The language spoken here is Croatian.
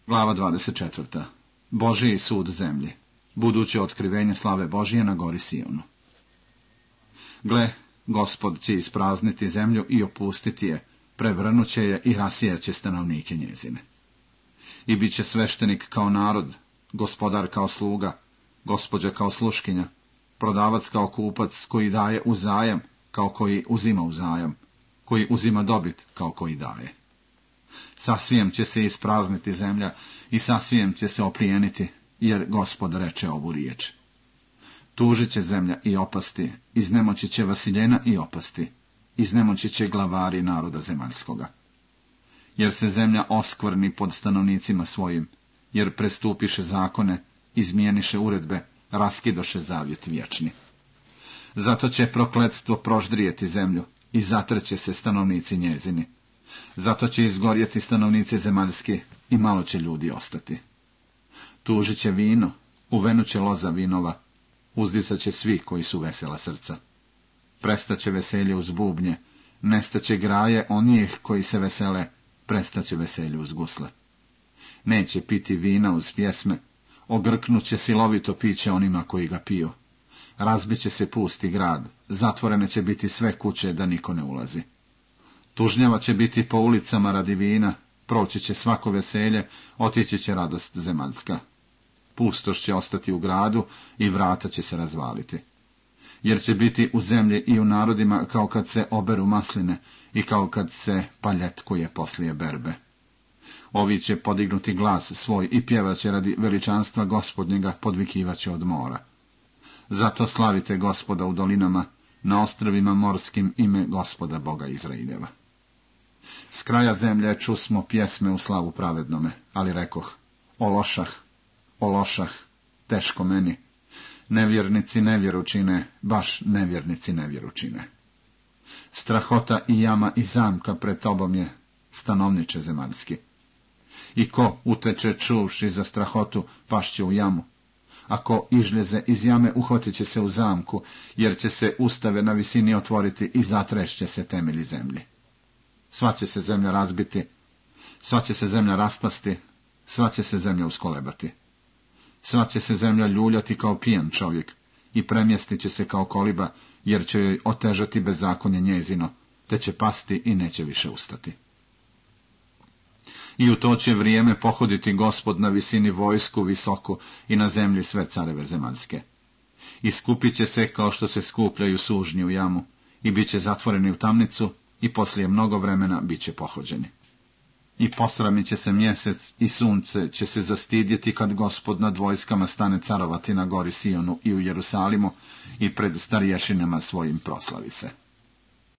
Glava 24. Božiji sud zemlji. Buduće otkrivenje slave Božije na gori Sionu. Gle, Gospod će isprazniti zemlju i opustiti je, prevrnuće je i rasijaće stanovnike njezine. I bit će sveštenik kao narod, gospodar kao sluga, gospođa kao sluškinja, prodavac kao kupac koji daje u zajam kao koji uzima u zajam, koji uzima dobit kao koji daje. Sasvijem će se isprazniti zemlja i sasvijem će se oplijeniti, jer Gospod reče ovu riječ. Tužit će zemlja i opasti, iznemoći će vasiljena i opasti, iznemoći će glavari naroda zemaljskoga. Jer se zemlja oskvrni pod stanovnicima svojim, jer prestupiše zakone, izmijeniše uredbe, raskidoše zavjet vječni. Zato će prokletstvo proždrijeti zemlju i zatreće se stanovnici njezini. Zato će izgorjeti stanovnici zemaljski i malo će ljudi ostati. Tužit će vino, uvenuće loza vinova, uzdisat će svi koji su vesela srca. Prestaće veselje uz bubnje, nestaće graje onih koji se vesele, prestaće veselje uz gusle. Neće piti vina uz pjesme, ogrknuće silovito piće onima koji ga piju. Razbiće se pusti grad, zatvorene će biti sve kuće da niko ne ulazi. Tužnjava će biti po ulicama radi vina, proći će svako veselje, otići će radost zemaljska. Pustoš će ostati u gradu i vrata će se razvaliti. Jer će biti u zemlji i u narodima kao kad se oberu masline i kao kad se paljetkuje poslije berbe. Ovi će podignuti glas svoj i pjevaće radi veličanstva Gospodnjega, podvikivaće od mora. Zato slavite Gospoda u dolinama, na ostrvima morskim ime Gospoda Boga Izraeljeva. S kraja zemlje čusmo pjesme u slavu pravednome, ali rekoh, o lošah, teško meni. Nevjernici nevjeru čine, baš nevjernici nevjeru čine. Strahota i jama i zamka pred tobom je, stanovniče zemaljski. I ko uteče čuvši za strahotu, pašće u jamu. Ako izljeze iz jame, uhvatit će se u zamku, jer će se ustave na visini otvoriti i zatrešće se temelji zemlji. Sva će se zemlja razbiti, sva će se zemlja raspasti, sva će se zemlja uskolebati. Sva će se zemlja ljuljati kao pijan čovjek i premjestit će se kao koliba, jer će joj otežati bezakonje njezino, te će pasti i neće više ustati. I u to će vrijeme pohoditi Gospod na visini vojsku visoku i na zemlji sve careve zemaljske. I skupit će se kao što se skupljaju sužnji u jamu i bit će zatvoreni u tamnicu i poslije mnogo vremena bit će pohođeni. I posramit će se mjesec i sunce će se zastidjeti kad Gospod nad vojskama stane carovati na gori Sionu i u Jerusalimu i pred starješinama svojim proslavi se.